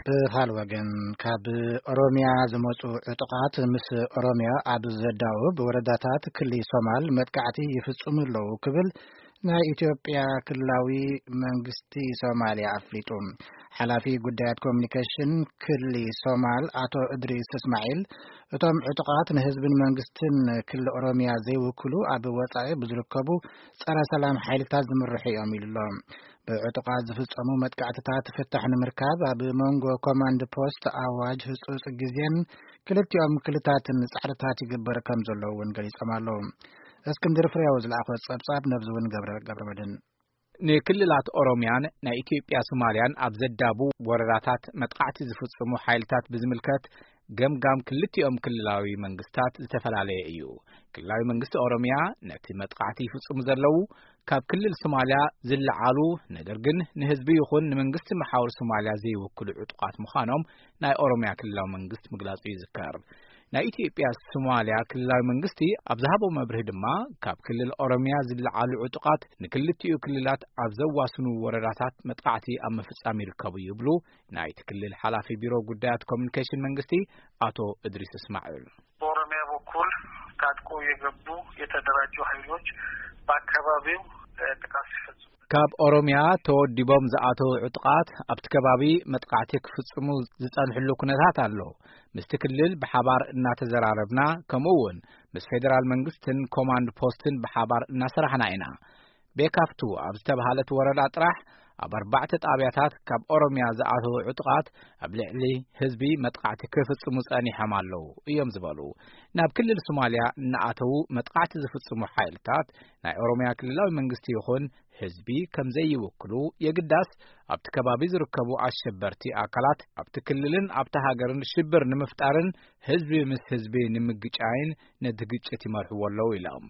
ብኻል ወገን፣ ካብ ኦሮምያ ዝመጹ ዕጡቓት ምስ ኦሮምያ ኣብ ዘዳውብ ወረዳታት ክሊ ሶማል መጥቃዕቲ ይፍጽሙ ኣለዉ ክብል ናይ ኢትዮጵያ ክልላዊ መንግስቲ ሶማልያ ኣፍሊጡ። ሓላፊ ጉዳያት ኮሚኒኬሽን ክሊ ሶማል ኣቶ እድሪስ እስማዒል፣ እቶም ዕጡቓት ንህዝብን መንግስትን ክሊ ኦሮምያ ዘይውክሉ ኣብ ወጻኢ ብዝርከቡ ጸረ ሰላም ሓይልታት ዝምርሑ እዮም ኢሉ ኣሎ። ብዕጡቓት ዝፍጸሙ መጥቃዕትታት ፍታሕ ንምርካብ ኣብ መንጎ ኮማንድ ፖስት ኣዋጅ ህጹጽ ግዜን ክልቲኦም ክልታትን ጻዕርታት ይግበር ከም ዘሎ እውን ገሊጾም ኣለዉ። እስክንድር ፍሬው ዝለኣኾ ጸብጻብ ነብዚ እውን ገብረ፣ ገብረ መድህን። ንክልላት ኦሮምያን ናይ ኢትዮጵያ ሶማልያን ኣብ ዘዳቡ ወረዳታት መጥቃዕቲ ዝፍጽሙ ሓይልታት ብዝምልከት ገምጋም ክልቲኦም ክልላዊ መንግስታት ዝተፈላለየ እዩ። ክልላዊ መንግስቲ ኦሮምያ ነቲ መጥቃዕቲ ይፍጽሙ ዘለዉ ካብ ክልል ሶማልያ ዝለዓሉ፣ ነገር ግን ንህዝቢ ይኹን ንመንግስቲ መሓውር ሶማልያ ዘይውክሉ ዕጡቓት ምዃኖም ናይ ኦሮምያ ክልላዊ መንግስቲ ምግላጹ ይዝከር። ናይ ኢትዮጵያ ሶማልያ ክልላዊ መንግስቲ ኣብ ዝሃቦ መብርሂ ድማ፣ ካብ ክልል ኦሮምያ ዝለዓሉ ዕጡቓት ንክልቲኡ ክልላት ኣብ ዘዋስኑ ወረዳታት መጥቃዕቲ ኣብ ምፍጻም ይርከቡ ይብሉ ናይቲ ክልል ሓላፊ ቢሮ ጉዳያት ኮሚኒኬሽን መንግስቲ ኣቶ እድሪስ እስማዒል። በኦሮሚያ በኩል ታጥቆ የገቡ የተደራጁ ኃይሎች በአካባቢው፣ እ፣ ጥቃት ሲፈጽሙ ካብ ኦሮምያ ተወዲቦም ዝኣተዉ ዕጡቓት ኣብቲ ከባቢ መጥቃዕቲ ክፍጽሙ ዝጸንሕሉ ኩነታት ኣሎ። ምስቲ ክልል ብሓባር እናተዘራረብና፣ ከምኡ እውን ምስ ፌደራል መንግስትን ኮማንድ ፖስትን ብሓባር እናሰራሕና ኢና። ቤካፍቱ ኣብ ዝተባህለት ወረዳ ጥራሕ ኣብ ኣርባዕተ ጣብያታት ካብ ኦሮምያ ዝኣተዉ ዕጡቓት ኣብ ልዕሊ ህዝቢ መጥቃዕቲ ክፍጽሙ ጸኒሖም ኣለዉ እዮም ዝበሉ። ናብ ክልል ሶማልያ እናኣተዉ መጥቃዕቲ ዝፍጽሙ ሓይልታት ናይ ኦሮምያ ክልላዊ መንግስቲ ይኹን ህዝቢ ከም ዘይውክሉ፣ የግዳስ ኣብቲ ከባቢ ዝርከቡ ኣሸበርቲ ኣካላት ኣብቲ ክልልን ኣብቲ ሃገርን ሽብር ንምፍጣርን ህዝቢ ምስ ህዝቢ ንምግጫይን ነቲ ግጭት ይመርሕዎ ኣለዉ ኢሎም።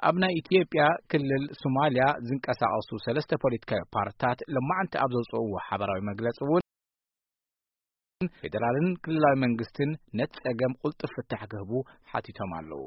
ኣብ ናይ ኢትዮጵያ ክልል ሶማልያ ዝንቀሳቐሱ ሰለስተ ፖለቲካዊ ፓርትታት ለማዕንቲ ኣብ ዘውፅእዎ ሓበራዊ መግለፂ እውን ፌደራልን ክልላዊ መንግስትን ነቲ ጸገም ቁልጡፍ ፍታሕ ክህቡ ሓቲቶም ኣለዉ።